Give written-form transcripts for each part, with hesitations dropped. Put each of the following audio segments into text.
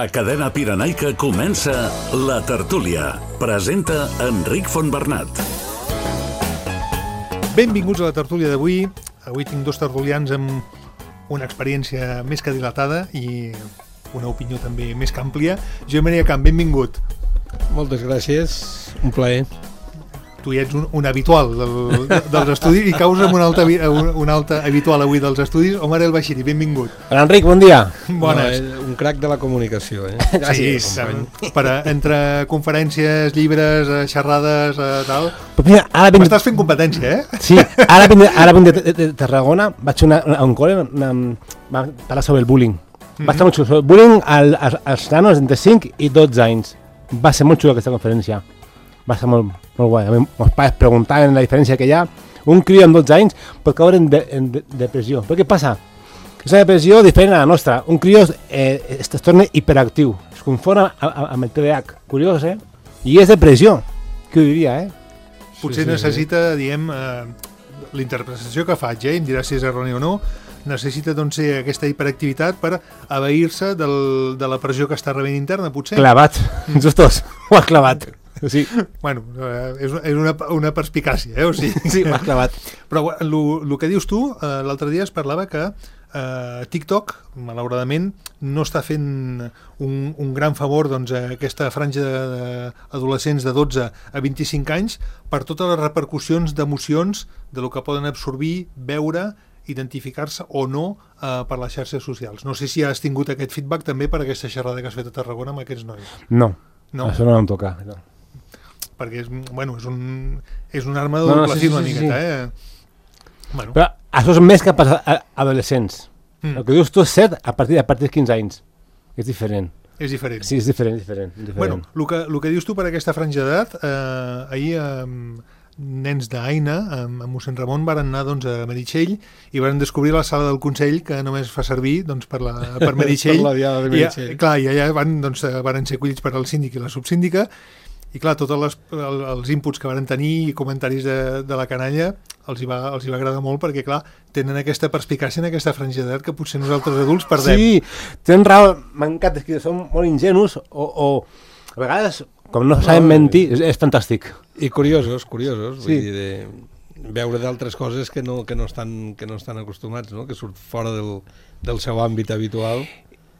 A Cadena Pirenaica comença La Tertúlia. Presenta Enric Fontbernat. Benvinguts a La Tertúlia d'avui. Avui tinc dos tertulians amb una experiència més que dilatada i una opinió també més que àmplia. Josep Maria Camp, benvingut. Moltes gràcies, un plaer. Tu ja ets un habitual dels estudis i causa un altre habitual avui dels estudis. Omar El Bashiri, benvingut. Enric, bon dia. Bones. No, un crac de la comunicació. Gràcies. Sí, entre conferències, llibres, xerrades, tal. M'estàs fent competència, eh? Sí, ara vinc de Tarragona, vaig a un col·le, va parlar sobre el bullying. Va estar molt xulo, sobre el bullying als nanos entre 5 i 12 anys. Va ser molt xulo aquesta conferència. Va ser molt guai. A mi, els pares preguntaven la diferència que hi ha. Un crió amb 12 anys pot caure en depressió. Però què passa? És una depressió diferent a la nostra. Un crió es torna hiperactiu. Es confon amb el TDAH. Curiós, eh? I és depressió. Qui ho diria, eh? Potser necessita, diguem, l'interpretació que faig, em dirà si és erroni o no, necessita doncs ser aquesta hiperactivitat per abair-se de la pressió que està rebent interna, potser. Clavat, justos, ho has clavat. Sí. Bueno, és una perspicàcia, o sigui. Sí, ho has clavat. Però el que dius tu, l'altre dia es parlava que TikTok, malauradament, no està fent un gran favor doncs, a aquesta franja d'adolescents de 12 a 25 anys per totes les repercussions d'emocions de lo que poden absorbir, veure, identificar-se o no per les xarxes socials. No sé si has tingut aquest feedback també per aquesta xerrada que has fet a Tarragona amb aquests nois. No. Això no em toca. No. Perquè és un arma de doble fil una miqueta, eh? Bueno. Però això és més que per adolescents. El que dius tu és cert a partir de 15 anys. És diferent. És diferent. Sí, és diferent. Bueno, el que dius tu per aquesta franja d'edat, ahir nens d'Aina, amb mossèn Ramon, varen anar doncs, a Meritxell i varen descobrir la sala del Consell, que només fa servir doncs, per Meritxell. Per la diada de Meritxell. I allà varen ser acollits per al síndic i la subsíndica, i clar, tots els inputs que varen tenir i comentaris de la canalla els hi va agradar molt, perquè clar, tenen aquesta perspicàcia en aquesta franja d'edat que potser nosaltres adults perdem. Sí, tenen raó, m'encanta, que són molt ingenus o a vegades, com no saben mentir, és fantàstic. I curiosos, vull dir, veure d'altres coses que no estan acostumats, no? Que surt fora del seu àmbit habitual.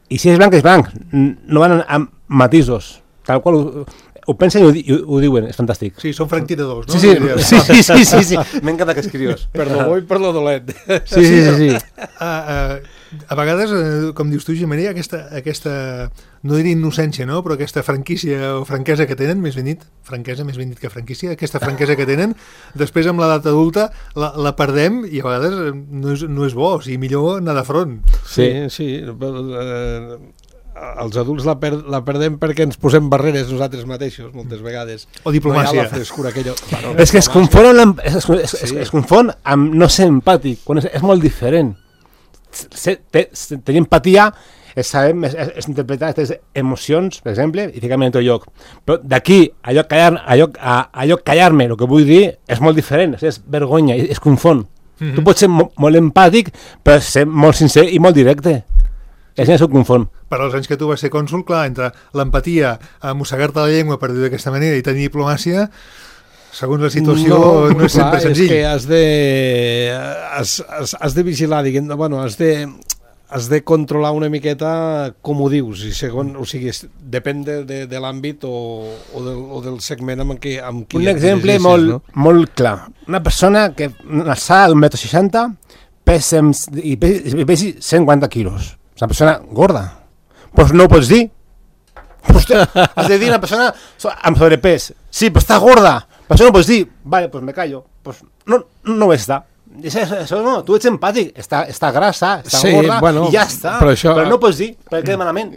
I si és blanc, és blanc, no van amb matisos, tal qual ho pensen i ho diuen, és fantàstic. Sí, són franctiradors, no? Sí. M'encanta aquest criós. Per lo bo i per lo dolent. Sí. A vegades, com dius tu, Maria, aquesta no diré innocència, no? Però aquesta franquícia o franquesa que tenen, més ben dit que franquícia, aquesta franquesa que tenen, després amb l'edat adulta la perdem i a vegades no és bo, o sigui, millor anar de front. Sí. Els adults la perdem perquè ens posem barreres nosaltres mateixos, moltes vegades. O diplomàcia. No hi ha la frescura aquella... Bueno, és que es confon amb no ser empàtic, quan és molt diferent. Tenir empatia és saber, és interpretar aquestes emocions, per exemple, i ficar-me en tot lloc. Però d'aquí, allò callar-me, el que vull dir, és molt diferent, és vergonya, es confon. Tu pots ser molt empàtic, però ser molt sincer i molt directe. És això que confon. Per als anys que tu vas ser cònsul, clar, entre l'empatia, mossegar-te la llengua, per dir d'aquesta manera, i tenir diplomàcia, segons la situació, no és sempre senzill. És que has de vigilar, diguem, bueno, has de controlar una miqueta com ho dius, i o sigui, depèn de l'àmbit o del segment amb qui un exemple molt clar. Una persona que alçada d'1,60 m i pesi 150 quilos. És una persona gorda. Doncs no ho pots dir. Has de dir una persona amb sobrepès. Sí, però està gorda. Per això no pots dir. Vale, doncs me callo. No ho està. Això no, tu ets empàtic. Està grassa, està gorda, i ja està. Però no pots dir, perquè queda malament.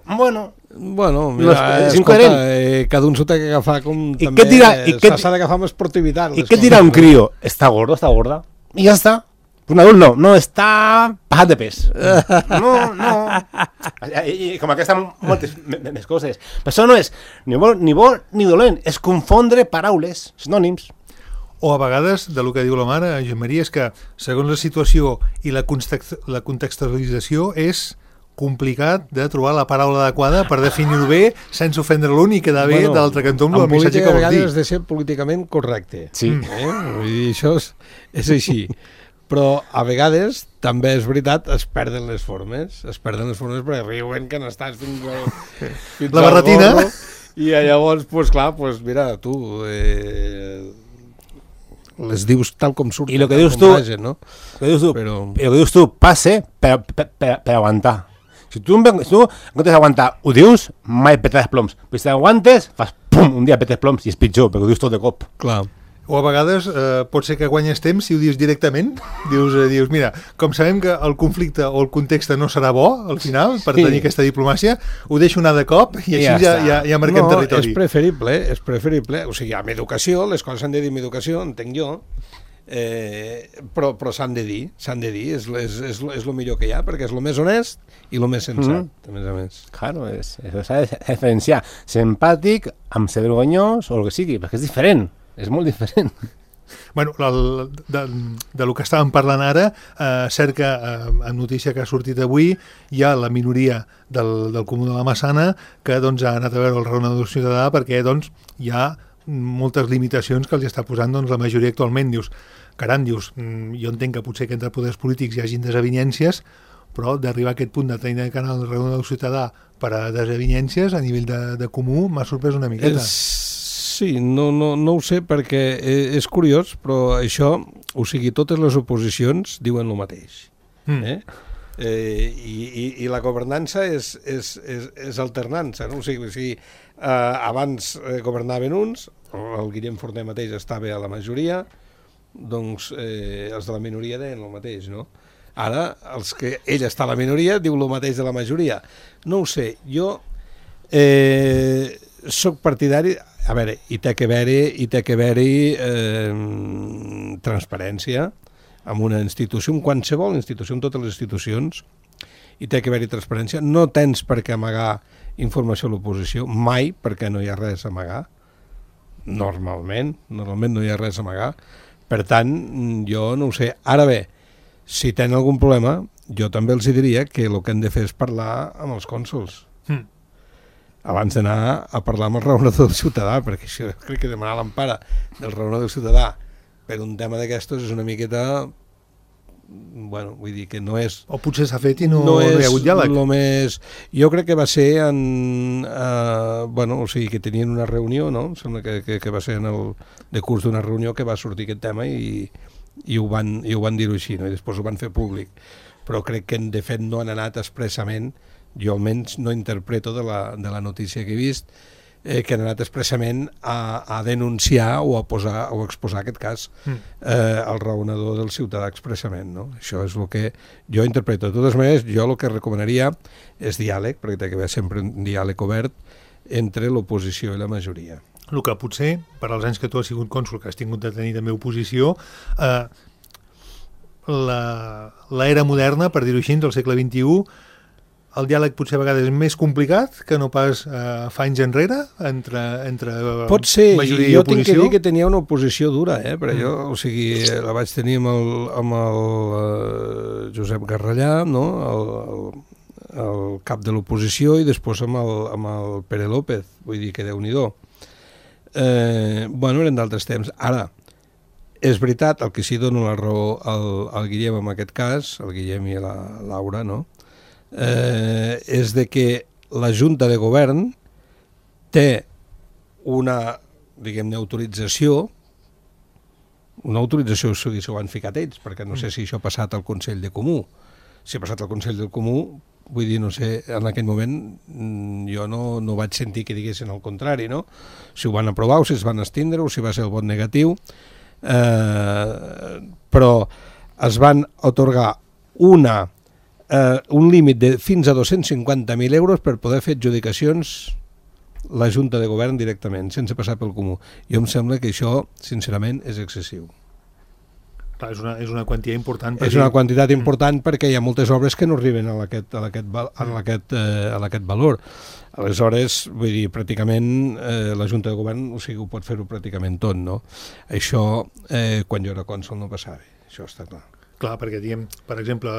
Bueno, mira, escolta, cada un s'ho té que agafar com també s'ha d'agafar amb esportivitat. I què et dirà un crió? Està gorda. I ja està. Un adult no, està passat de pes. No. I com aquesta moltes més coses. Però això no és ni bo ni dolent, és confondre paraules, sinònims. O a vegades, de lo que diu la mare, Josep Maria, és que segons la situació i la contextualització és complicat de trobar la paraula adequada per definir-ho bé sense ofendre l'un i quedar bé de l'altre cantó amb el missatge que vols dir. En política a vegades has de ser políticament correcte. Sí. Vull dir, això és així. Però a vegades també és veritat, es perden les formes perquè riuen que n'estàs fins la barretina. Gorro, i llavors, pues, clar, pues, mira, tu les dius tal com surten. I el que dius tu, no? Però el que dius tu passe per aguantar. Si tu en comptes d'aguantar ho dius, mai petes ploms. Però si t'aguantes, fas pum, un dia petes ploms i és pitjor, perquè ho dius tot de cop. Clar. O a vegades pot ser que guanyes temps si ho dius directament. Dius, mira, com sabem que el conflicte o el context no serà bo al final per tenir aquesta diplomàcia, ho deixo anar de cop i així ja marquem territori. És preferible. O sigui, amb educació, les coses s'han de dir amb educació, entenc jo, però s'han de dir, és el millor que hi ha, perquè és el més honest i el més sensat, a més a més. Claro, s'ha de diferenciar ser empàtic amb ser vergonyós o el que sigui, perquè és diferent. És molt diferent. Bueno, de lo que estàvem parlant ara, cert que en notícia que ha sortit avui hi ha la minoria del Comú de la Massana que doncs, ha anat a veure el raonador ciutadà perquè doncs, hi ha moltes limitacions que els està posant doncs, la majoria actualment. Dius, jo entenc que potser que entre poders polítics hi hagin desavinències, però d'arribar a aquest punt de tenir el canal del raonador ciutadà per a desavinències a nivell de comú m'ha sorprès una miqueta. Sí, no ho sé perquè és curiós, però això, o sigui, totes les oposicions diuen el mateix. I la governança és alternança, no? O sigui, abans governaven uns, el Guillem Forner mateix estava a la majoria, doncs els de la minoria deien el mateix, no? Ara, els que ell està a la minoria diu el mateix de la majoria. No ho sé, jo soc partidari. A veure, hi té que haver-hi transparència en una institució, en qualsevol institució, en totes les institucions, hi té que haver-hi transparència. No tens per què amagar informació a l'oposició, mai, perquè no hi ha res a amagar. Normalment no hi ha res a amagar. Per tant, jo no ho sé. Ara bé, si tenen algun problema, jo també els diria que el que han de fer és parlar amb els cònsols. Abans d'anar a parlar amb el raonador del ciutadà, perquè això crec que demanar l'empara del raonador del ciutadà per un tema d'aquestos és una miqueta, bueno, vull dir que no és... O potser s'ha fet i no hi ha hagut diàleg. Jo crec que va ser o sigui, que tenien una reunió, no? Em sembla que va ser en el decurs d'una reunió que va sortir aquest tema i ho van dir-ho així, no? I després ho van fer públic. Però crec que de fet no han anat expressament, jo almenys no interpreto de la notícia que he vist, que han anat expressament a denunciar o a exposar aquest cas al raonador del ciutadà expressament, no? Això és el que jo interpreto. De totes maneres, jo el que recomanaria és diàleg, perquè té que haver sempre un diàleg obert entre l'oposició i la majoria. El que potser, per als anys que tu has sigut cònsol, que has tingut de tenir també oposició, l'era moderna, per dir-ho així, del segle XXI, el diàleg potser a vegades és més complicat que no pas fa anys enrere entre pot ser, majoria i oposició? Jo tinc que dir que tenia una oposició dura, però jo, o sigui, la vaig tenir amb el Josep Garrallà, no? el cap de l'oposició, i després amb el Pere López, vull dir que Déu-n'hi-do. Eren d'altres temps. Ara, és veritat, el que sí dono la raó al Guillem en aquest cas, el Guillem i la Laura, no? És de que la Junta de Govern té una, diguem-ne, autorització, si ho han ficat ells, perquè no sé si això ha passat al Consell de Comú. Si ha passat al Consell del Comú, vull dir, no sé, en aquell moment jo no vaig sentir que diguessin el contrari, no? Si ho van aprovar o si es van estindre o si va ser el vot negatiu, però es van atorgar un límit de fins a 250.000 euros per poder fer adjudicacions la Junta de Govern directament, sense passar pel Comú. Jo em sembla que això, sincerament, és excessiu. Clar, és una quantitat important. És una quantitat important perquè hi ha moltes obres que no arriben a aquest valor. Aleshores, vull dir, pràcticament la Junta de Govern, o sigui, ho pot fer-ho pràcticament tot, no? Això, quan jo era cònsol, no passava. Això està clar. Clar, perquè, diguem, per exemple,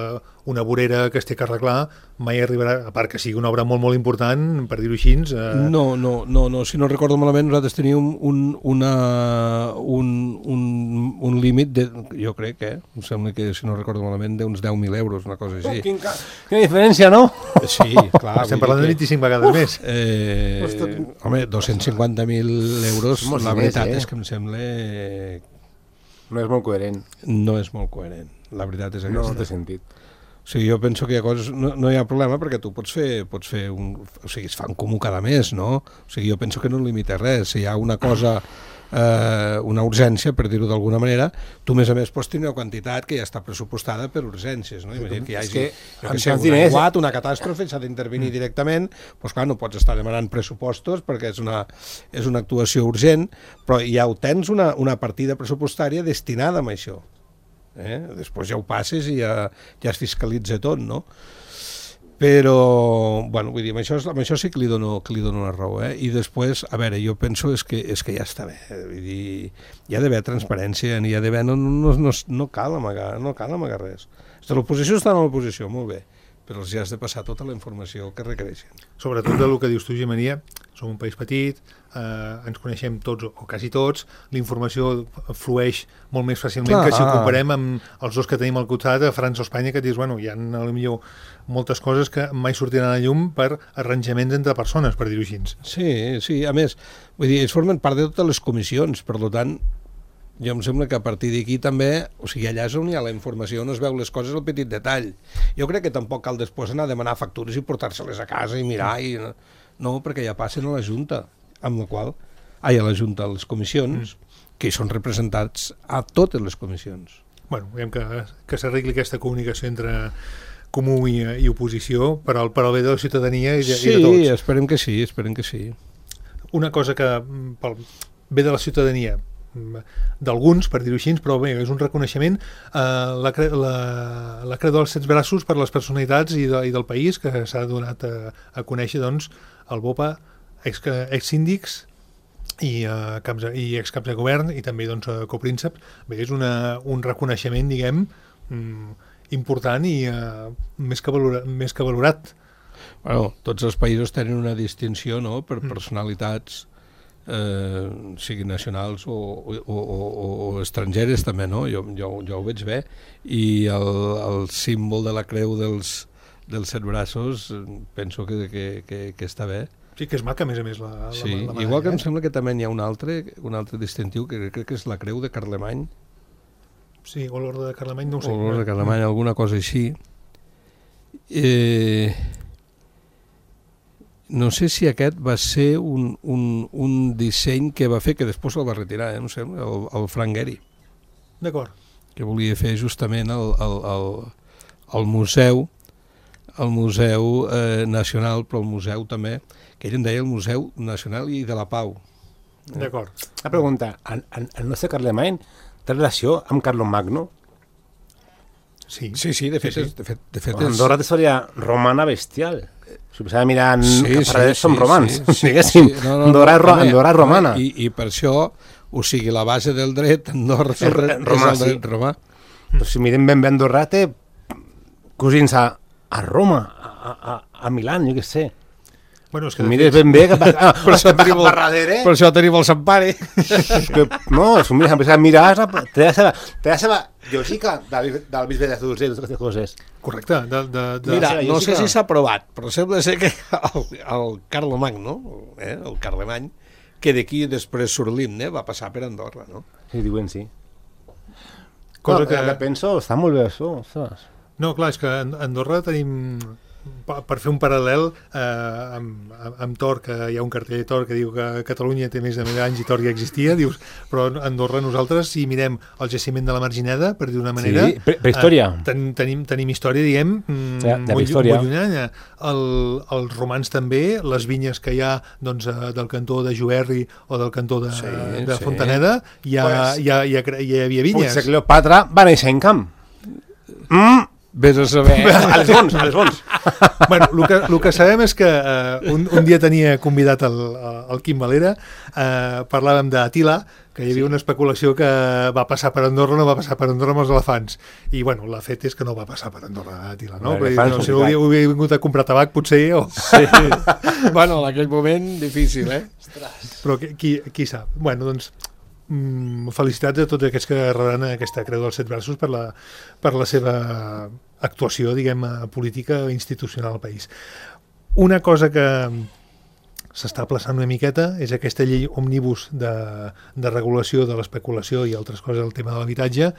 una vorera que es té que arreglar mai arribarà, a part que sigui una obra molt, molt important, per dir-ho així... No, si no recordo malament, nosaltres teníem un límit, jo crec, em sembla que, si no recordo malament, d'uns 10.000 euros, una cosa així. Quina diferència, no? Sí, clar. Estem parlant de 25 vegades més. Home, 250.000 euros, la veritat és que em sembla... No és molt coherent. No és molt coherent, la veritat és aquesta. No té sentit. O sigui, jo penso que hi ha coses... No hi ha problema perquè tu pots fer un... O sigui, es fa un comú cada mes, no? O sigui, jo penso que no limita res. Si hi ha una cosa, una urgència, per dir-ho d'alguna manera, tu, a més, pots tenir una quantitat que ja està pressupostada per urgències, no? Imagina't que hi hagi un aiguat, una catàstrofe, s'ha d'intervenir directament, doncs clar, no pots estar demanant pressupostos perquè és una actuació urgent, però ja ho tens una partida pressupostària destinada a això. Després ja ho passes i ja es fiscalitza tot, no? Però, bueno, vull dir, amb això sí que li dono una raó, I després, a veure, jo penso és que ja està bé, vull dir, hi ha d'haver transparència, n'hi ha d'haver, no cal amagar res. L'oposició està en l'oposició, molt bé, però els has de passar tota la informació que requereixen. Sobretot del que dius tu, Gemenia, som un país petit, ens coneixem tots o quasi tots, l'informació flueix molt més fàcilment que si ho comparem amb els dos que tenim al costat, a França o Espanya, que dius, bueno, hi ha potser moltes coses que mai sortiran a la llum per arranjaments entre persones, per dir-ho així. Sí, a més, vull dir, ells formen part de totes les comissions, per tant, jo em sembla que a partir d'aquí també, o sigui, allà és on hi ha la informació, on es veu les coses al petit detall. Jo crec que tampoc cal després anar a demanar factures i portar-se-les a casa i mirar, no, perquè ja passen a la Junta, amb la qual, a la Junta, a les comissions, que hi són representats a totes les comissions. Bueno, veiem que s'arregli aquesta comunicació entre comú i oposició per al bé de la ciutadania i de tots. Sí, esperem que sí. Una cosa que pel bé de la ciutadania, d'alguns, per dir-ho així, però bé, és un reconeixement, la creu dels 7 braços per les personalitats i del país, que s'ha donat a conèixer, doncs, el BOPA, ex-síndics i excaps de govern i també, doncs, copríncep. Bé, és un reconeixement, diguem, important i més que valorat. Bueno, tots els països tenen una distinció, no?, per personalitats siguin nacionals o estrangeres també, no? Jo ho veig bé, i el símbol de la creu dels 7 braços penso que està bé. Sí, que és maca, a més, la medalla. Igual que em sembla que també hi ha un altre distintiu, que crec que és la creu de Carlemany. Sí, o l'ordre de Carlemany, no ho sé. O l'ordre de Carlemany, alguna cosa així. No sé si aquest va ser un disseny que va fer, que després el va retirar, no sé, el Frank Gehry. D'acord. Que volia fer justament el museu nacional, però el museu també, que ell en deia el Museu Nacional i de la Pau. D'acord. La pregunta, el nostre Carlemany té relació amb Carlomagno? Sí, de fet Andorra té història romana bestial. Si posava mirant paraders som romans, diguéssim. Andorra és romana. I per això, o sigui, la base del dret Andorra és el dret romà. Però si mirem ben bé, Andorra té cosins a Roma, a Milán, jo què sé. Bueno, és que mires ben bé que per això tenim el Sant Pare. No, si mires a mirar té la seva lògica del bisbe de Zurcher i totes aquestes coses. Correcte. Mira, no sé si s'ha provat, però sembla ser que el Carlemagno, el Carlemany, que d'aquí després surt l'himne, va passar per Andorra, no? Sí, diuen sí. Cosa que penso, està molt bé això. No, clar, és que a Andorra tenim, per fer un paral·lel amb Tor, que hi ha un cartell de Tor que diu que Catalunya té més de 1000 anys i Tor ja existia, dius, però a Andorra nosaltres, si mirem el jaciment de la Margineda, per dir d'una manera, prehistòria. Tenim història, diguem, molt llunyana. Els romans també, les vinyes que hi ha del cantó de Juerri o del cantó de Fontaneda, hi havia vinyes. Potser Cleopatra va néixer en camp. Vés a saber. A les bons. Bueno, el que sabem és que un dia tenia convidat el Quim Valera, parlàvem d'Atila, que hi havia una especulació que va passar per Andorra o no va passar per Andorra amb els elefants. I, bueno, la fet és que no va passar per Andorra, Atila, no? Si no havia vingut a comprar tabac, potser... Sí. Bueno, en aquell moment, difícil, Però qui sap? Bueno, doncs, felicitats a tots aquests que rebran aquesta Creu dels 7 Braços per la seva actuació, diguem, política i institucional al país. Una cosa que s'està aplaçant una miqueta és aquesta llei òmnibus de regulació de l'especulació i altres coses del tema de l'habitatge.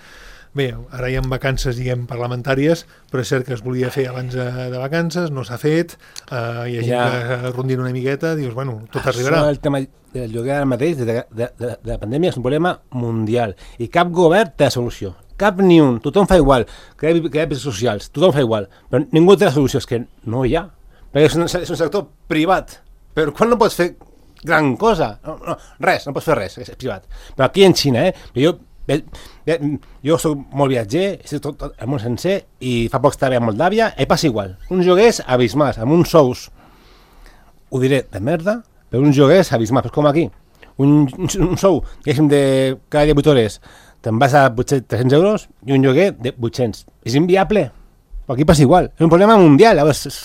Bé, ara hi ha vacances, diguem, parlamentàries, però és cert que es volia fer abans de vacances, no s'ha fet, hi ha gent que rondina una miqueta, dius, bueno, tot arribarà. El tema del lloguer ara mateix, de la pandèmia, és un problema mundial, i cap govern té la solució, cap ni un, tothom fa igual, crea pisos socials, tothom fa igual, però ningú té la solució, és que no hi ha, perquè és un sector privat, però quan no pots fer gran cosa? No, res, no pots fer res, és privat. Però aquí en Xina, jo soc molt viatger, sé tot el món sencer, i fa poc estava a Moldàvia, i passa igual. Uns lloguers abismals, amb uns sous, ho diré, de merda, però uns lloguers abismals, com aquí. Un sou, diguéssim, de cada dia 8 hores, te'n vas a 300 euros i un lloguer de 800. És inviable, però aquí passa igual. És un problema mundial, és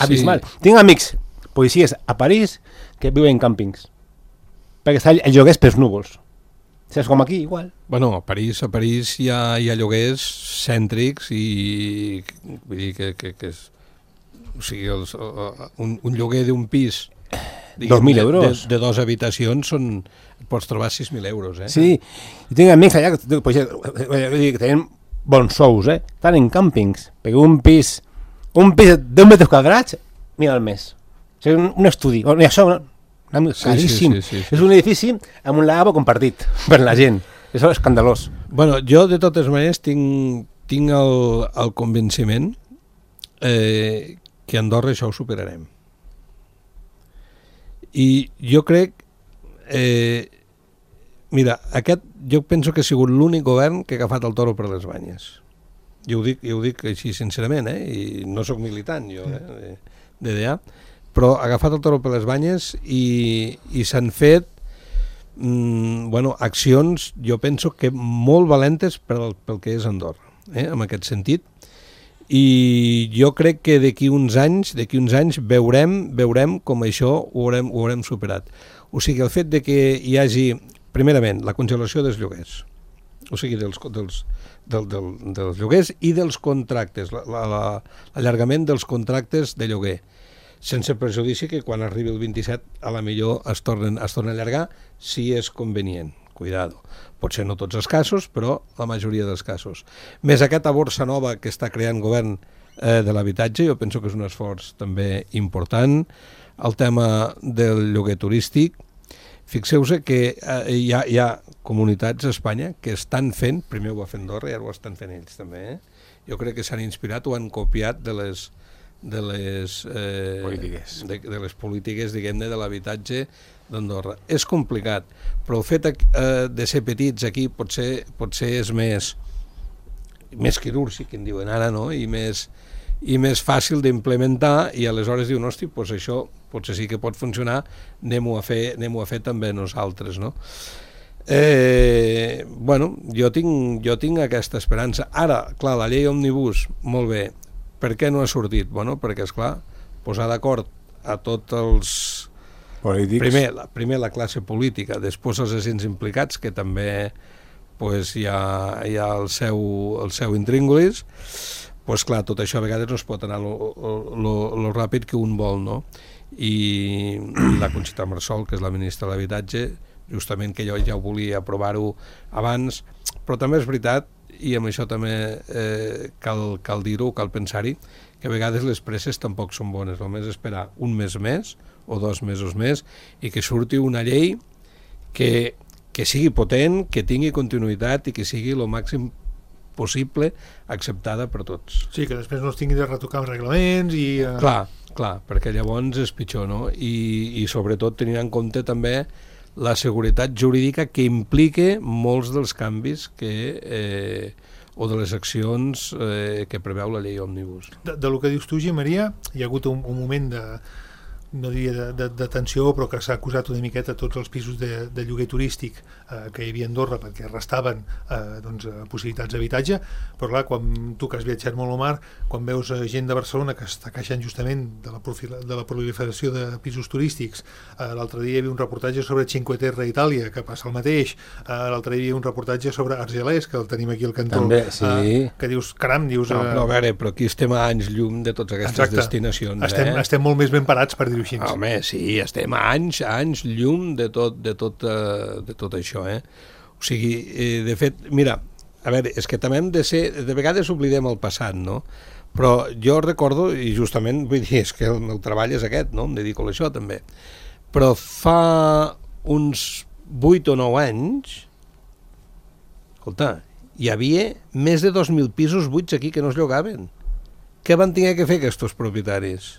abismal. Sí. Tinc amics policies a París que viuen en càmpings, perquè està el lloguer per núvols. Saps com aquí, igual. Bueno, a París hi ha lloguers cèntrics i vull dir que és, o sigui, un lloguer d'un pis 2.000 euros de 2 habitacions pots trobar 6.000 euros, Sí, i tinc amics allà que tenen bons sous, estan en càmpings, perquè un pis d'1 metre quadrats, 1.000 al mes. És un estudi, i això caríssim. Sí. És un edifici amb un lavabo compartit per la gent. Això és escandalós. Bueno, jo de totes maneres tinc el convenciment que a Andorra això ho superarem. I jo crec mira, jo penso que ha sigut l'únic govern que ha agafat el toro per les banyes. Jo ho dic així sincerament, i no sóc militant jo, DDA, però ha agafat el toro per les banyes i s'han fet accions, jo penso que molt valentes pel que és Andorra, en aquest sentit. I jo crec que d'aquí uns anys veurem com això ho haurem superat. O sigui, el fet de que hi hagi, primerament, la congelació dels lloguers, o sigui, dels lloguers i dels contractes, l'allargament dels contractes de lloguer, sense prejudici que quan arribi el 27 a la millor es tornen a allargar si és convenient. Cuidado. Potser no tots els casos, però la majoria dels casos. Més aquesta borsa nova que està creant govern de l'habitatge, jo penso que és un esforç també important. El tema del lloguer turístic, fixeu-se que hi ha comunitats a Espanya que estan fent, primer ho va fer Andorra i ara ho estan fent ells també, Jo crec que s'han inspirat o han copiat de les polítiques, diguem-ne, de l'habitatge d'Andorra. És complicat, però el fet de ser petits aquí potser és més quirúrgic, en diuen ara, no? I més fàcil d'implementar, i aleshores diuen, hosti, doncs això potser sí que pot funcionar, anem-ho a fer també nosaltres, no? Jo tinc aquesta esperança. Ara, clar, la llei òmnibus, molt bé. Per què no ha sortit? Bueno, perquè, esclar, posar d'acord a tots els polítics. Primer la classe política, després els agents implicats, que també hi ha el seu intríngulis, clar, tot això a vegades no es pot anar lo ràpid que un vol, no? I la Conxita Marsol, que és la ministra de l'Habitatge, justament que jo ja ho volia aprovar-ho abans, però també és veritat, i amb això també cal dir-ho, cal pensar-hi, que a vegades les presses tampoc són bones. Només esperar un mes més o 2 mesos més i que surti una llei que sigui potent, que tingui continuïtat i que sigui el màxim possible acceptada per tots. Sí, que després no es tingui de retocar els reglaments i... Clar, perquè llavors és pitjor, no? I sobretot tenint en compte també la seguretat jurídica que implica molts dels canvis que o de les accions que preveu la llei Òmnibus. De lo que dius tu, Maria, hi ha hagut un moment no diria de tensió, però que s'ha acusat una miqueta tots els pisos de lloguer turístic que hi havia a Andorra perquè restaven possibilitats d'habitatge, però clar, quan tu que has viatjat molt al mar, quan veus gent de Barcelona que està queixant justament de la proliferació de pisos turístics, l'altre dia hi havia un reportatge sobre Cinque Terre a Itàlia, que passa el mateix, l'altre dia hi havia un reportatge sobre Argelès, que el tenim aquí al cantó. També, sí. Que dius, caram, dius... Però a veure, però aquí estem a anys llum de totes aquestes destinacions. Estem molt més ben parats, per dir-ho així. Home, sí, estem a anys llum de tot això, O sigui, de fet, mira, a veure, és que també hem de ser... De vegades oblidem el passat, no? Però jo recordo, i justament, vull dir, és que el meu treball és aquest, no? Em dedico a això, també. Però fa uns 8 o 9 anys, escolta, hi havia més de 2.000 pisos buits aquí que no es llogaven. Què van tenir que fer aquests propietaris?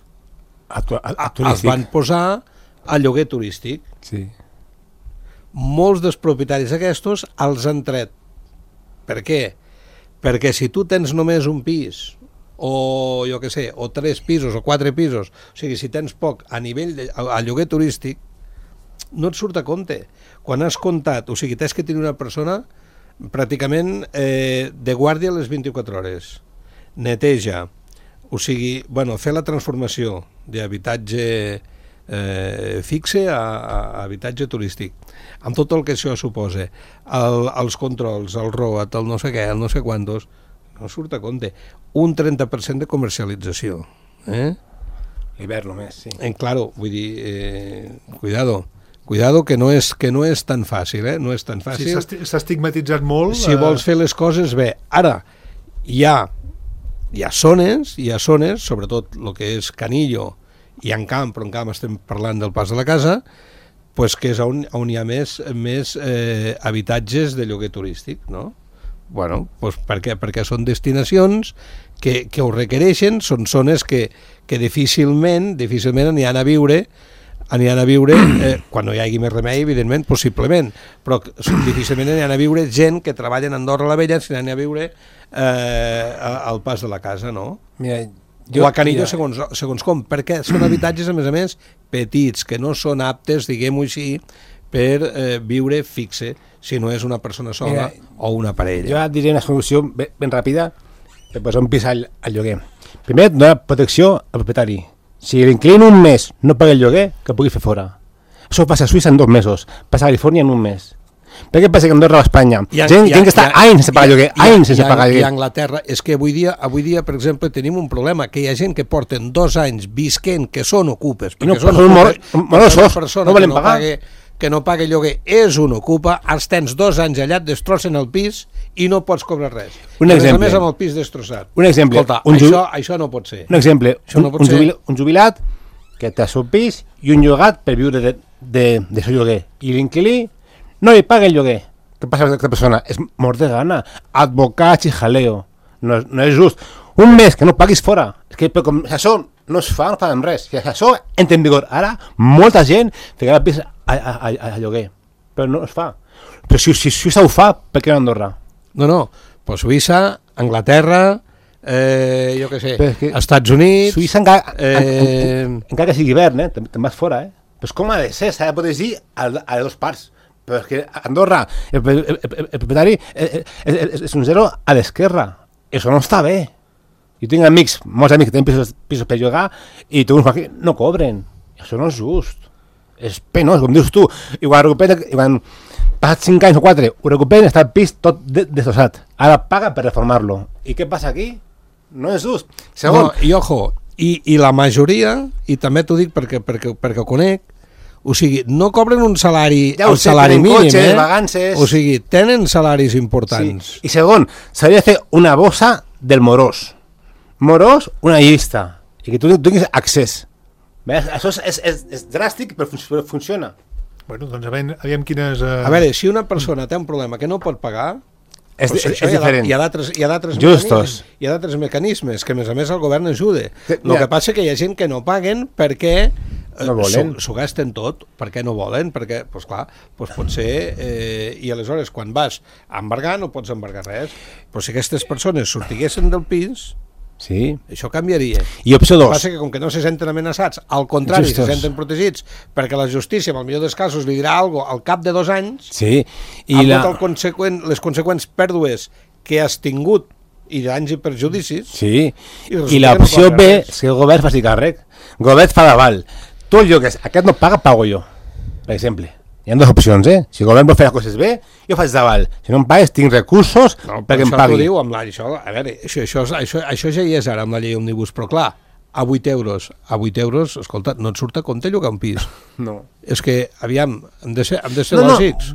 Els van posar a lloguer turístic. Sí. Molts dels propietaris aquests els han tret. Per què? Perquè si tu tens només un pis, o jo què sé, o 3 pisos o 4 pisos, o sigui, si tens poc a nivell a lloguer turístic, no et surt a compte. Quan has comptat, o sigui, t'has que tenir una persona pràcticament de guàrdia a les 24 hores, neteja, o sigui, bueno, fer la transformació d'habitatge fixe a habitatge turístic, amb tot el que això suposa, els controls, el ROAT, el no sé què, el no sé quantos, no surt a compte. Un 30% de comercialització. L'hivern només, sí. Claro, vull dir, cuidado que no és tan fàcil, no és tan fàcil. Sí, s'ha estigmatitzat molt. Si vols fer les coses bé. Ara, hi ha zones, sobretot el que és Canillo i en camp, però en camp estem parlant del Pas de la Casa, pues que és on hi ha més habitatges de lloguer turístic, no? Bueno, pues per què? Perquè són destinacions que ho requereixen, són zones que difícilment aniran a viure quan no hi hagi més remei, evidentment, possiblement, però difícilment aniran a viure gent que treballa a Andorra la Vella, aniran a viure al Pas de la Casa, no? Mira, o a Canillo, segons com, perquè són habitatges, a més, petits, que no són aptes, diguem-ho així, per viure fixe, si no és una persona sola o una parella. Jo et diré una solució ben ràpida per posar un pis al lloguer. Primer, donar protecció al propietari. Si l'inquilí un mes no paga el lloguer, que pugui fer fora. Això passa a Suïssa en 2 mesos, passa a Califòrnia en 1 mes. Per què passa que Andorra o Espanya? Gent que està anys sense pagar lloguer, anys sense pagar lloguer. I a Anglaterra, és que avui dia, per exemple, tenim un problema, que hi ha gent que porten 2 anys visquent, que són ocupes, perquè són morosos, persona no volen pagar. Que no paga lloguer, és un ocupa, els tens 2 anys allà, et destrossen el pis i no pots cobrar res. Un exemple. A més, amb el pis destrossat. Un exemple. Escolta, això no pot ser. Un exemple, un jubilat que té el seu pis i un llogat per viure de seu lloguer. I l'inquilí no li paga el lloguer. Què passa amb aquesta persona? És mort de gana. Advocats i jaleo. No és just. Un mes que no paguis fora. És que com això no es fa, no paguem res. Si això entra en vigor ara, molta gent ficarà el pis a lloguer. Però no es fa. Però si Suïssa ho fa, per què no Andorra? No, però Suïssa, Anglaterra, jo què sé, Estats Units... Suïssa encara que sigui hivern, te'n vas fora, Però com ha de ser? S'ha de poder dir a les 2 parts. Però és que a Andorra el propietari és un zero a l'esquerra. Això no està bé. Jo tinc molts amics que tenen pisos per llogar i tots no cobren. Això no és just. És penós, com dius tu. I quan recuperen, quan passat 5 anys o 4, ho recuperen, està el pis tot destrossat. Ara paga per reformar-lo. I què passa aquí? No és just. Segon, i ojo, i la majoria, i també t'ho dic perquè ho conec, o sigui, no cobren un salari, el salari mínim, cotxes, vacances. O sigui, tenen salaris importants. Sí. I segon, s'hauria de fer una bossa del morós. Morós, una llista. I que tu tinguis accés. Això és dràstic, però funciona. Bueno, doncs aviam quines... A veure, si una persona té un problema que no pot pagar, és diferent. Hi ha d'altres mecanismes que, a més el govern ajuda. El que passa que hi ha gent que no paguen perquè No volen. S'ho gasten tot, perquè no volen, perquè, doncs clar, doncs pot ser, i aleshores quan vas a embargar no pots embargar res, però si aquestes persones sortiguessin del pis, Sí. això canviaria. I opció El que 2. passa que com que no se senten amenaçats, al contrari, Justos. se senten protegits, perquè la justícia, en el millor dels casos, li dirà alguna cosa al cap de 2 anys, Sí. amb les conseqüents pèrdues que has tingut i danys i perjudicis. Sí. resulta I l'opció que no paga B res. és que el govern faci càrrec. El govern fa d'aval. Tu el llogues, aquest no paga, pago jo. Per exemple. Hi ha dues opcions, Si el govern vol fer les coses bé, jo faig d'aval. Si no em pagues, tinc recursos perquè em això pagui. t'ho diu amb la... A veure, això ja hi és ara amb la llei Òmnibus, però clar, a 8 euros, escolta, no et surt a compte llogar un pis. No. És que, aviam, hem de ser No. lògics.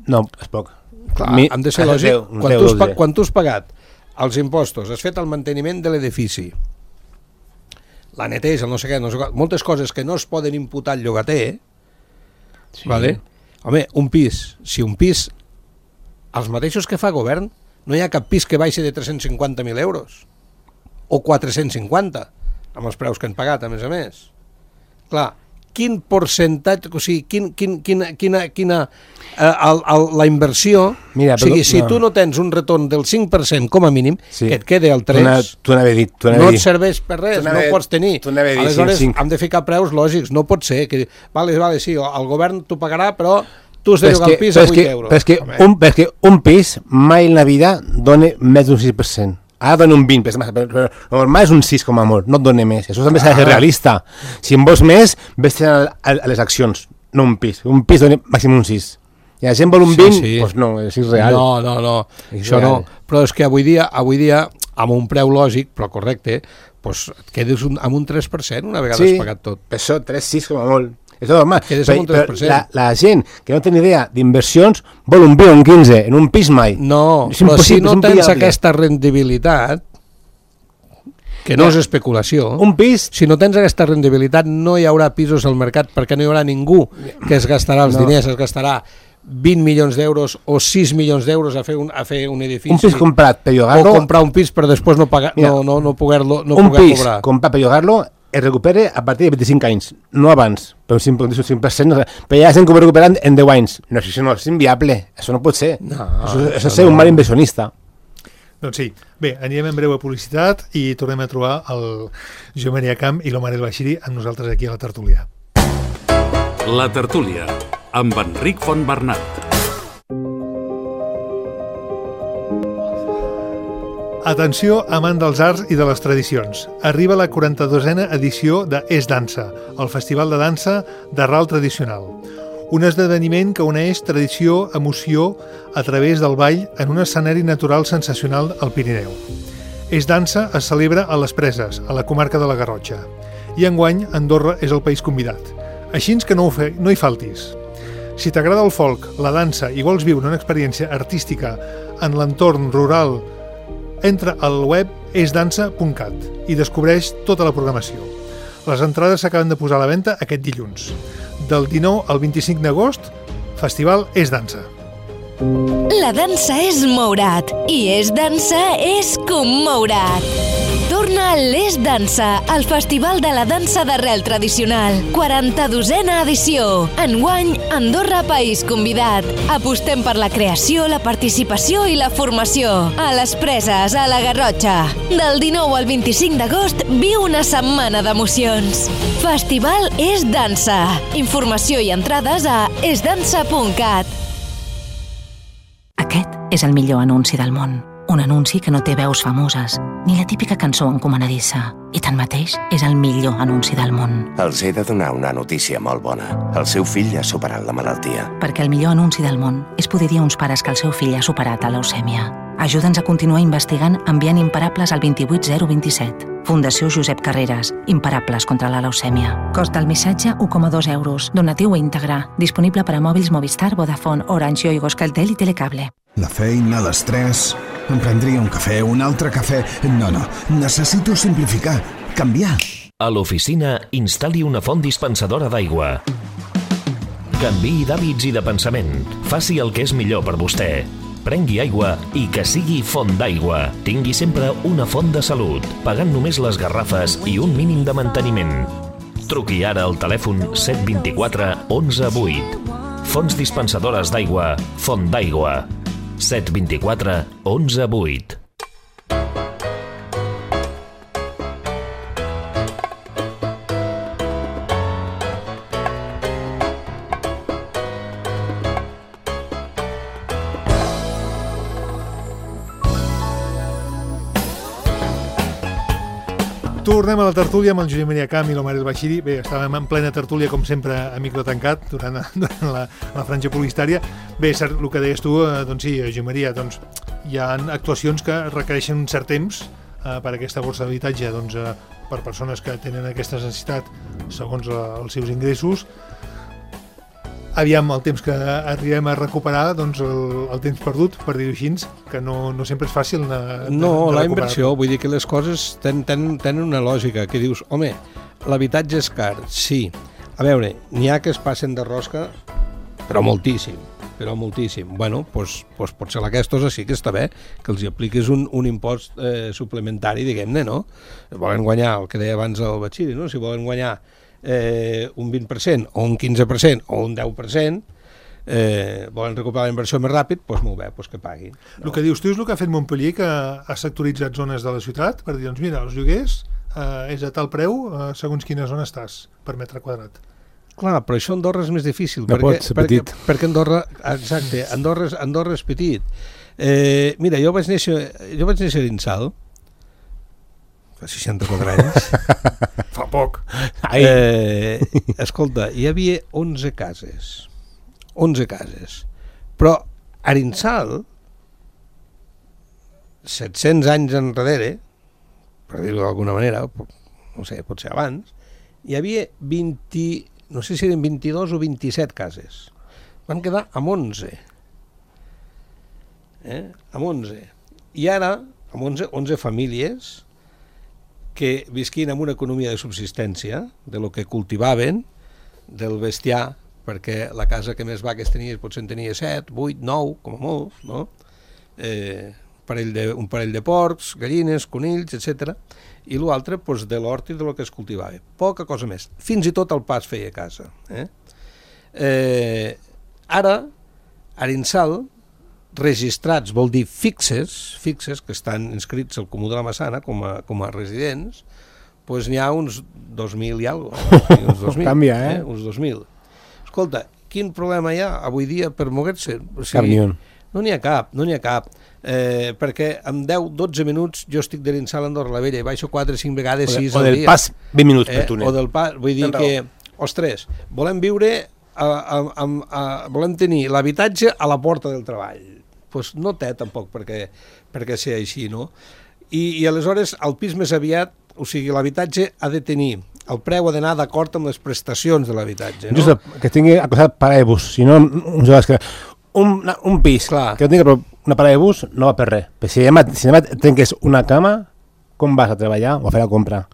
No, és poc. Clar, hem de ser lògics. Quan tu has pagat els impostos, has fet el manteniment de l'edifici, la neteja, no sé què, moltes coses que no es poden imputar al llogater, Sí. vale? Home, un pis, si un pis, els mateixos que fa govern, no hi ha cap pis que baixi de 350.000 euros, o 450, amb els preus que han pagat, a més. Clar, quin percentatge, o sigui, la inversió, Mira, o sigui, si no. tu no tens un retorn del 5% com a mínim, Sí. que et quede el 3%, Tu n'havia dit. no et serveix per res, no pots tenir. Aleshores, sí. hem de ficar preus lògics, no pot ser. Que, vale, sí, el govern t'ho pagarà, però tu has de llogar el pis a 8 euros. Però és que un pis mai en la vida dona més d'un 6%. Ara dona un 20%, però normal és un 6 com a molt, no et dona més. Això també s'ha de ser realista. Si en vols més, vés a les accions, no un pis. Un pis dona màxim un 6. I la gent vol un 20, doncs no, és irreal. No, És això no. real. Però és que avui dia, amb un preu lògic, però correcte, doncs et quedes amb un 3% una vegada has pagat tot. Per això, 3-6 com a molt. És normal. Quedes amb un 3%. La gent que no té ni idea d'inversions vol un 20 o un 15, en un pis mai. No, És però si impossible, no és tens inviable. aquesta rendibilitat, que no és especulació, Un pis... si no tens aquesta rendibilitat no hi haurà pisos al mercat perquè no hi haurà ningú que es gastarà els diners, es gastarà 20 milions d'euros o 6 milions d'euros a fer un edifici. Un pis comprat per O llogar-lo... comprar un pis per després no pagar, Mira, no poder un pis cobrar. comprat per llogar-lo es recupera a partir de 25 anys, no abans, per un 5%, però hi ha gent que ho recupera en 10 anys. No, això no, és inviable, això no pot ser. Això és ser un mal inversionista. Doncs sí. Bé, anirem en breu a publicitat i tornem a trobar el Joan Maria Camp i l'Omar El Bashiri amb nosaltres aquí a la tertúlia. La tertúlia, amb Enric Fontbernat. Atenció, amant dels arts i de les tradicions. Arriba la 42a edició de Es Dansa, el festival de dansa d'arrel tradicional. Un esdeveniment que uneix tradició, emoció, a través del ball en un escenari natural sensacional al Pirineu. Es Dansa es celebra a les Preses, a la comarca de la Garrotxa. I enguany, Andorra és el país convidat. Així que no hi faltis. Si t'agrada el folk, la dansa i vols viure una experiència artística en l'entorn rural, entra al web esdansa.cat i descobreix tota la programació. Les entrades s'acaben de posar a la venda aquest dilluns. Del 19 al 25 d'agost, Festival Es Dansa. La dansa és moure't i Es Dansa és commoure't. Torna a l'Es Dansa, el festival de la dansa d'arrel tradicional. 42a edició. Enguany, Andorra, país convidat. Apostem per la creació, la participació i la formació. A les Preses, a la Garrotxa. Del 19 al 25 d'agost, viu una setmana d'emocions. Festival Es Dansa. Informació i entrades a esdansa.cat. Aquest és el millor anunci del món. Un anunci que no té veus famoses, ni la típica cançó encomanadissa. I tanmateix és el millor anunci del món. Els he de donar una notícia molt bona. El seu fill ha superat la malaltia. Perquè el millor anunci del món és poder dir a uns pares que el seu fill ha superat la leucèmia. Ajuda'ns a continuar investigant enviant imparables al 28027. Fundació Josep Carreras. Imparables contra la leucèmia. Cost del missatge 1,2 euros. Donatiu íntegre. Disponible per a mòbils Movistar, Vodafone, Orange, Yoigo, Euskaltel i Telecable. La feina, l'estrès... Em prendria un cafè, un altre cafè... No, necessito simplificar, canviar. A l'oficina, instal·li una font dispensadora d'aigua. Canviï d'hàbits i de pensament. Faci el que és millor per vostè. Prengui aigua i que sigui font d'aigua. Tingui sempre una font de salut, pagant només les garrafes i un mínim de manteniment. Truqui ara al telèfon 724 11 8. Fonts dispensadores d'aigua Font d'Aigua. 724 11 8. Tornem a la tertúlia amb el Josep Maria Camp i la Mariel Bachiri. Bé, estàvem en plena tertúlia, com sempre, a micro tancat, durant la franja publicitària. Bé, cert, el que deies tu, doncs sí, Josep Maria, doncs hi ha actuacions que requereixen un cert temps per aquesta borsa d'habitatge, doncs, per persones que tenen aquesta necessitat segons els seus ingressos. Aviam, el temps que arribem a recuperar, doncs el temps perdut, per dir-ho així, que no sempre és fàcil de la inversió, vull dir que les coses tenen una lògica, que dius, home, l'habitatge és car, sí. A veure, n'hi ha que es passen de rosca, però moltíssim. Bueno, doncs potser aquests sí que està bé que els apliquis un impost suplementari, diguem-ne, no? Volen guanyar, el que deia abans el Bachiri, no? Si volen guanyar un 20% o un 15% o un 10%, volen recuperar la inversió més ràpid, doncs molt bé, doncs que paguin. No? El que dius tu és el que ha fet Montpellier, que ha sectoritzat zones de la ciutat per dir, doncs mira, els lloguers és a tal preu segons quina zona estàs per metre quadrat. Clar, però això a Andorra és més difícil, perquè Andorra, exacte, Andorra és petit. Mira, jo vaig néixer a Insal, fa 64 anys. Fa poc. Escolta, hi havia 11 cases. 11 cases. Però a Arinsal, 700 anys enrere, per dir-ho d'alguna manera, no sé, potser abans, hi havia 20, no sé si eren 22 o 27 cases. Van quedar amb 11. Amb 11. I ara, amb 11 famílies que visquin amb una economia de subsistència, de lo que cultivaven, del bestiar, perquè la casa que més vaques tenies potser en tenia 7, 8, 9, com a molt, no? Un parell de porcs, gallines, conills, etc. I l'altre, doncs, de l'hort i de lo que es cultivava. Poca cosa més. Fins i tot el pa es feia a casa. Ara, a Arinsal, registrats, vol dir fixes que estan inscrits al Comú de la Massana com a residents, doncs n'hi ha uns 2.000 i alguna cosa. Uns 2.000, canvia, uns 2.000. Escolta, quin problema hi ha avui dia per moguer-se? O sigui, cap ni un. No n'hi ha cap. Perquè en 10-12 minuts jo estic d'Arinsal a Andorra la Vella i baixo 4-5 vegades 6 al dia. O del pas 20 minuts per túnel. O del pas, vull dir que, ostres, volem viure, volem tenir l'habitatge a la porta del treball. Doncs no té tampoc perquè sigui així, no? I aleshores el pis més aviat, o sigui, l'habitatge ha de tenir, el preu ha d'anar d'acord amb les prestacions de l'habitatge, no? Just que tingui acostat paraebus, si no, un pis clar, que no tingui una paraebus no va per res. Però si demà trenques una cama, com vas a treballar o a fer la compra?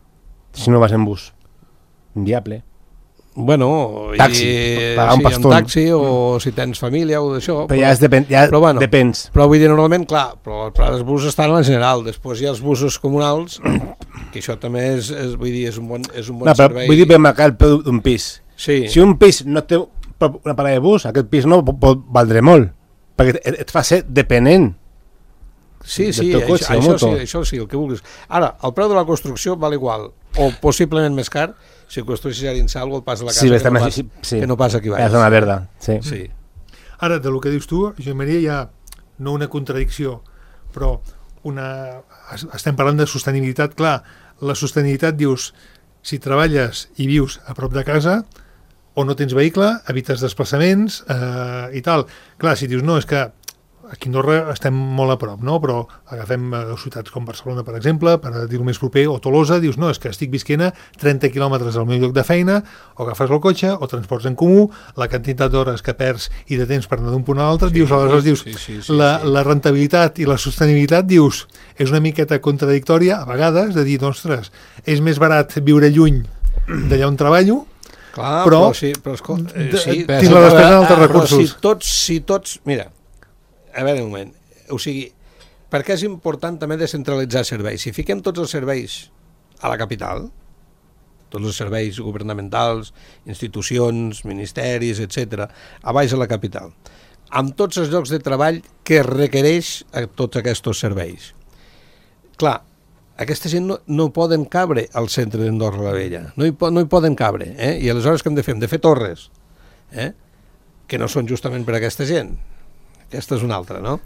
Si no vas en bus. Inviable. Bueno, taxi, pagar un pastón. Taxi o si tens família o d'això. Però ja depens. Però vull dir, normalment, clar, però els busos estan a la general, després hi ha els busos comunals, que això també és un bon servei. Vull dir, per marcar el preu d'un pis. Sí. Si un pis no té una parada de bus, aquest pis no pot valdre molt, perquè et fa ser dependent. Sí, això sí, el que vulguis. Ara, el preu de la construcció val igual, o possiblement més car, si construeixes a Arinsal o el pas de la casa que no pas aquí baix. És una verda, sí. Ara, del que dius tu, Josep Maria, hi ha no una contradicció, però estem parlant de sostenibilitat. Clar, la sostenibilitat, dius, si treballes i vius a prop de casa, o no tens vehicle, evites desplaçaments i tal. Clar, si dius, no, és que aquí a Andorra estem molt a prop, no? Però agafem ciutats com Barcelona, per exemple, per dir-ho més proper, o Tolosa, dius, no, és que estic visquent a 30 quilòmetres del meu lloc de feina, o agafes el cotxe, o transports en comú, la quantitat d'hores que perds i de temps per anar d'un punt a l'altre, dius, aleshores dius, la rentabilitat i la sostenibilitat, dius, és una miqueta contradictòria, a vegades, de dir, ostres, és més barat viure lluny d'allà on treballo, clar, però tinc la despesa d'altres recursos. Si tots, mira, a veure un moment, o sigui, perquè és important també descentralitzar serveis. Si fiquem tots els serveis a la capital, tots els serveis governamentals, institucions, ministeris, etc., a baix a la capital, amb tots els llocs de treball que requereix a tots aquests serveis. Clar, aquesta gent no poden cabre al centre d'Andorra la Vella, no hi poden cabre, i aleshores què hem de fer? Hem de fer torres, que no són justament per a aquesta gent. Aquesta és una altra, no?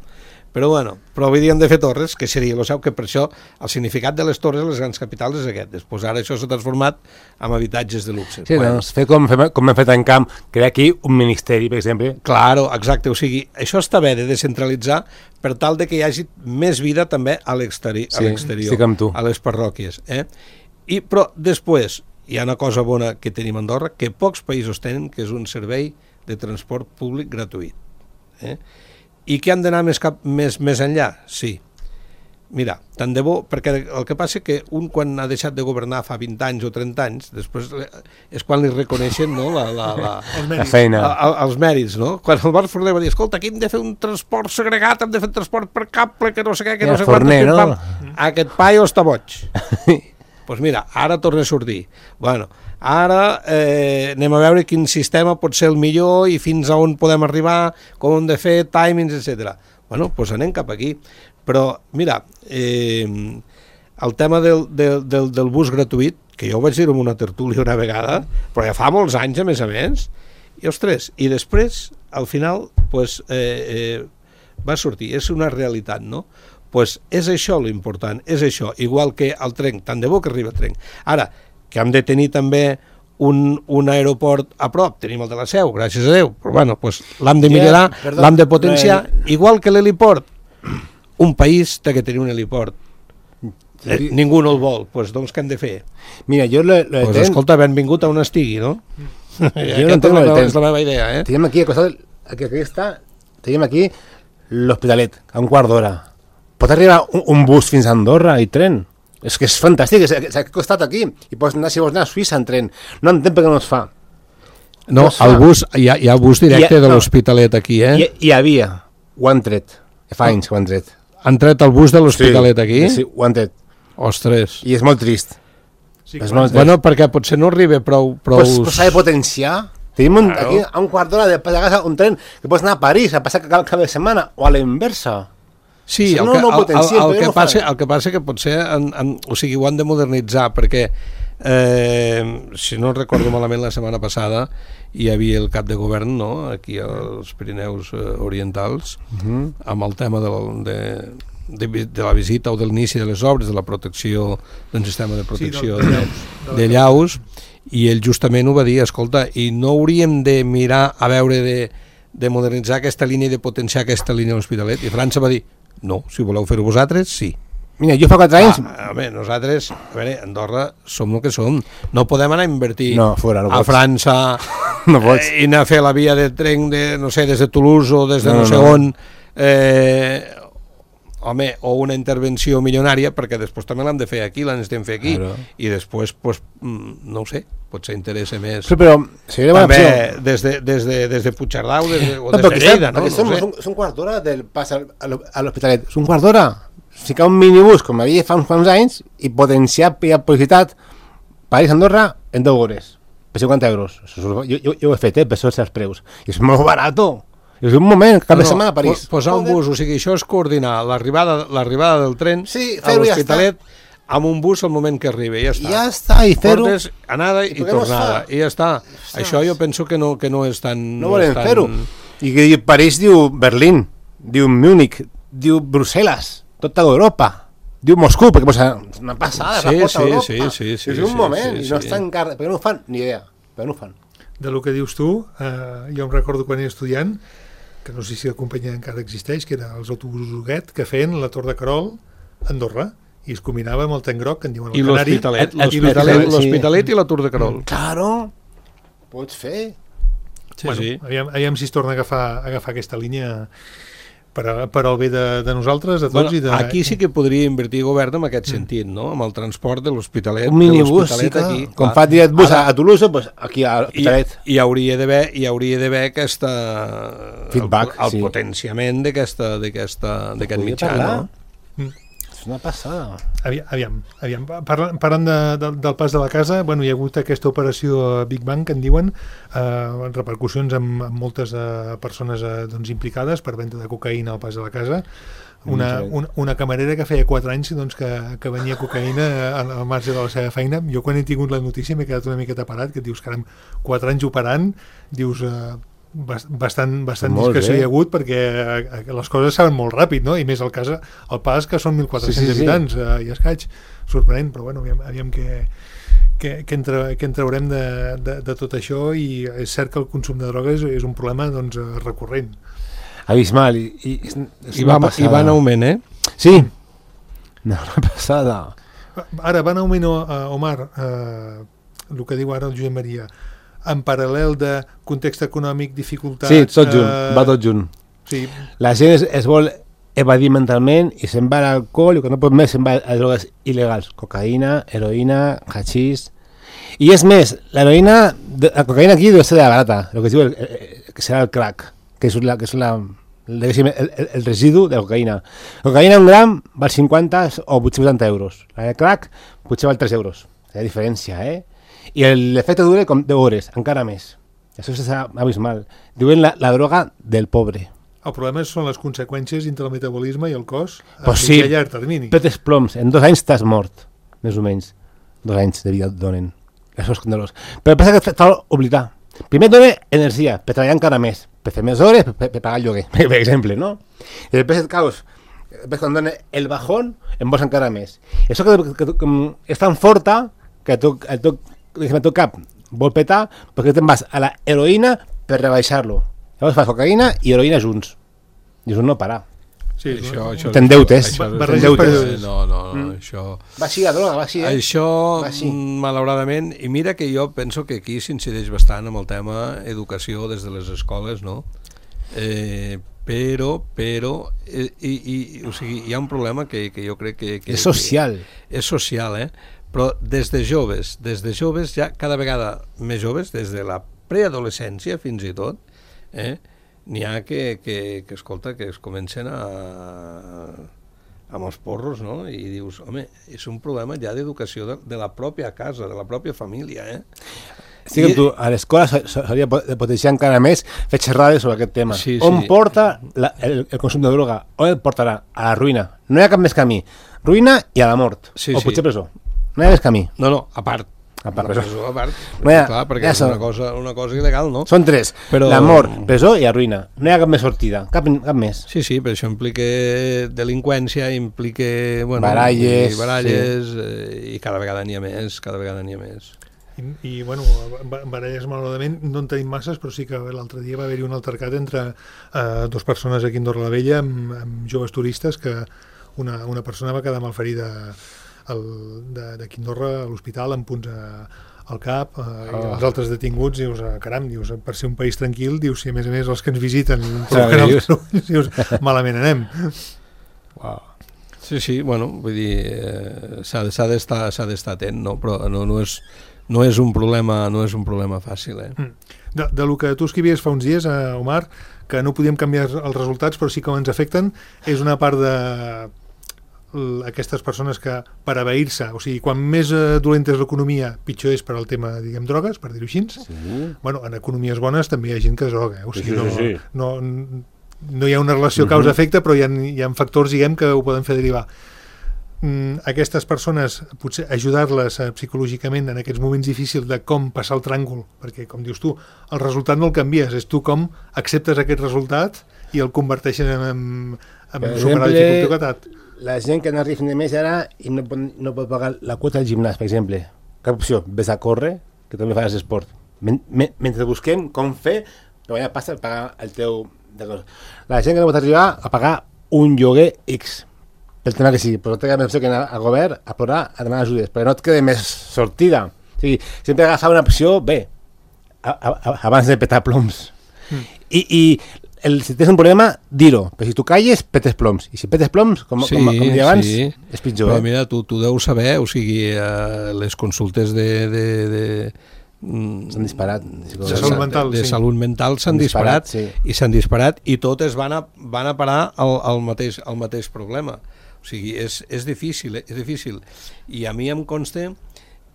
Però bueno, hauríem de fer torres, que seria, lo sabeu que per això el significat de les torres a les grans capitals és aquest. Després ara això s'ha transformat en habitatges de luxe. Sí, doncs fer com hem fet en camp, crear aquí un ministeri, per exemple. Claro, exacte, o sigui, això està bé de descentralitzar per tal de que hi hagi més vida també a l'exterior, estic amb tu. A les parròquies. Però després hi ha una cosa bona que tenim a Andorra, que pocs països tenen, que és un servei de transport públic gratuït. I que han d'anar més enllà? Sí. Mira, tant de bo, perquè el que passa que un quan ha deixat de governar fa 20 anys o 30 anys, després és quan li reconeixen, no, la feina. Els mèrits, no? Quan el Bar Forner va dir, escolta, aquí hem de fer un transport segregat, hem de fer transport per cable, que no sé què, que no sé quant... No? Aquest paio està boig. Doncs mira, ara torna a sortir. Bueno, ara anem a veure quin sistema pot ser el millor i fins a on podem arribar, com hem de fer, timings, etc. Bueno, doncs anem cap aquí. Però, mira, el tema del bus gratuït, que jo ho vaig dir en una tertúlia una vegada, però ja fa molts anys, a més, i ostres, i després, al final, doncs, va sortir, és una realitat, no? Pues és això l'important, és això, igual que el tren, tant de bo que arriba el tren. Ara, que hem de tenir també un aeroport a prop, tenim el de la Seu, gràcies a Déu, però bueno, pues l'hem de millorar, l'hem de potenciar, igual que l'heliport. Un país té que tenir un heliport. Ningú no el vol, doncs què hem de fer? Mira, jo pues escolta, benvingut a on estigui, no? Jo no entenc el és la meva idea, Tenim aquí, tenim aquí l'Hospitalet, a un quart d'hora. Pot arribar un bus fins a Andorra i tren? És que és fantàstic, és al costat aquí. I pots anar, si vols anar a Suïssa en tren. No entenc per què no es fa. No, el bus, hi ha bus directe de l'Hospitalet aquí, Hi havia, ho han tret. Fa anys que ho han tret. Han tret el bus de l'Hospitalet aquí? Sí, ho han tret. Ostres. I és molt trist. Bueno, perquè potser no arriba prou... Però s'ha de potenciar. Tenim aquí a un quart d'hora de passar un tren que pots anar a París a passar cada cap de setmana o a la inversa. Sí, el que passa que potser o sigui, ho han de modernitzar perquè si no recordo malament la setmana passada hi havia el cap de govern, no?, aquí als Pirineus Orientals amb el tema de la visita o de l'inici de les obres, de la protecció d'un sistema de protecció de llaus, i ell justament ho va dir, escolta, i no hauríem de mirar a veure de modernitzar aquesta línia i de potenciar aquesta línia a l'Hospitalet? I França va dir, no, si voleu fer-ho vosaltres, sí. Mira, jo fa 4 anys... Nosaltres, a veure, Andorra som el que som. No podem anar a invertir a França i anar a fer la via de tren des de Toulouse o des de no sé on, o una intervenció milionària, perquè després també l'hem de fer aquí, l'estem fer aquí, i després, no ho sé, potser interessa més també des de Puigcerdà o des de Lleida, no? És un quart d'hora del pas a l'Hospitalet, és un quart d'hora. Ficar un minibús, com havia fa uns anys, i potenciar per publicitat París-Andorra en 10 hores, per 50 euros. Jo ho he fet, per això els preus. I és molt barat. És un moment, cap de setmana a París. Posar un bus, o sigui, això és coordinar l'arribada del tren a l'Hospitalet amb un bus al moment que arribi, ja està. Ja està, i fer-ho. Portes anada i tornada, i ja està. Això jo penso que no és tan... No volem fer-ho. I París diu Berlín, diu Múnich, diu Brussel·les, tota Europa, diu Moscou, perquè és una passada, la porta d'Europa. Sí. És un moment, i no està encara... Per què no ho fan? Ni idea, per què no ho fan? De lo que dius tu, jo em recordo quan era estudiant, que no sé si la companyia encara existeix, que eren els autobusos Huguet, que feien la Tor de Querol a Andorra, i es combinava amb el tren groc, que en diuen el Canari. I l'Hospitalet i la Tor de Querol. Claro, pots fer. Aviam si es torna a agafar aquesta línia per al bé de nosaltres, de tots. Aquí sí que podria invertir govern en aquest sentit, no? Amb el transport de l'Hospitalet. Un minibús, sí que, com fa direct bus a Toulouse, aquí a l'Hospitalet. I hauria d'haver aquesta... feedback, el potenciament d'aquest mitjà, no? És una passada. Aviam. Parlant del pas de la casa, bueno, hi ha hagut aquesta operació Big Bang, que en diuen, repercussions amb moltes persones doncs, implicades per venda de cocaïna al pas de la casa. Una camarera que feia 4 anys doncs, que venia cocaïna al marge de la seva feina. Jo quan he tingut la notícia m'he quedat una miqueta parat, que et dius, caram, 4 anys operant, dius... bastant discreció hi ha hagut, perquè les coses saben molt ràpid, no? I més el pas que són 1.400 habitants i escaig, sorprenent, però bueno, aviam què en traurem de tot això. I és cert que el consum de drogues és un problema doncs, recurrent, abismal, i va en augment, Sí, una passada. Ara va en augment, Omar, el que diu ara el Josep Maria, en paral·lel de context econòmic, dificultats... Sí, tot junt, va tot junt. Sí. La gent es vol evadir mentalment i se'n va a l'alcohol, i quan no pot més se'n va a drogues il·legals, cocaïna, heroïna, hachís... I és més, la cocaïna aquí deu ser de la barata, el que es diu que serà el crack, que és el residu de la cocaïna. La cocaïna un gram val 50 o 880 euros, la de crack potser val 3 euros, hi ha diferència, i l'efecte dura com 10 hores, encara més. Això és abismal. Diuen la droga del pobre. El problema són les conseqüències entre el metabolisme i el cos a llarg termini. Petes ploms, en 2 anys t'has mort, més o menys. 2 anys de vida et donen. Això és escandalós. Però passa que t'ha d'oblidar. Primer et dona energia, per treballar encara més, per fer més hores, per pagar el lloguer, per exemple, no? I després et caus, després quan dona el bajón, en vols encara més. I això que és tan forta que el teu cap vol petar, perquè te'n vas a la heroïna per rebaixar-lo. Llavors fas cocaïna i heroïna junts. I és un no parar. Sí, t'endeutes. Això... Va així la droga, va així. Això, malauradament, i mira que jo penso que aquí s'incideix bastant amb el tema educació des de les escoles, no? Però o sigui, hi ha un problema que jo crec que és social. És social, però des de joves ja cada vegada més joves, des de la preadolescència fins i tot, n'hi ha que escolta, que es comencen amb els porros, no? I dius, home, és un problema ja d'educació de la pròpia casa, de la pròpia família, Estic amb tu, a l'escola s'hauria de potenciar encara més fer xerrades sobre aquest tema. On porta el consum de droga? On el portarà? A la ruïna. No hi ha cap més camí. Ruïna i a la mort. O potser presó. No hi ha més camí. No, a part. Presó. Clar, perquè és una cosa il·legal, no? Són 3. La mort, presó i la ruïna. No hi ha cap més sortida. Cap més. Sí, però això implica delinqüència, implica baralles, i cada vegada n'hi ha més. I bueno, baralles malauradament no en tenim masses, però sí que l'altre dia va haver-hi un altercat entre 2 persones aquí a Andorra la Vella amb joves turistes, que una persona va quedar malferida d'aquí a Andorra a l'hospital amb punts al cap, i els altres detinguts. Dius, caram, per ser un país tranquil, dius, si a més els que ens visiten dius, malament anem. Sí, bueno, vull dir, s'ha d'estar atent, no? Però no és un problema fàcil, De lo que tu escrivies fa uns dies, Omar, que no podíem canviar els resultats, però sí que ens afecten, és una part de aquestes persones que per abeir-se, o sigui, quan més dolenta és l'economia, pitjor és per al tema, diguem, drogues, per dir-ho així. Bueno, en economies bones també hi ha gent que es droga, o sigui, no hi ha una relació causa-efecte, però hi ha factors, diguem, que ho poden fer derivar. Aquestes persones, potser ajudar-les psicològicament en aquests moments difícils de com passar el tràngol, perquè, com dius tu, el resultat no el canvies, és tu com acceptes aquest resultat i el converteixen en superar la dificultat. La gent que no arriba de més ara i no pot pagar la quota del gimnàs, per exemple, cap opció, ves a córrer, que també fas esport. Mentre busquem com fer per guanyar pasta per pagar el teu... La gent que no pot arribar a pagar un lloguer X, pel tema que sigui, però té més opció que anar al govern a plorar, a demanar ajudes, perquè no et queda més sortida. O sigui, sempre agafar una opció bé, abans de petar ploms. Si tens un problema, dir-ho, però si tu calles, petes ploms, i si petes ploms, com deia abans, és pitjor. Però mira, tu deus saber, o sigui, les consultes S'han disparat. De salut mental, de salut mental s'han disparat, i s'han disparat, i totes van a parar al mateix problema. O sigui, és difícil, és difícil. I a mi em consta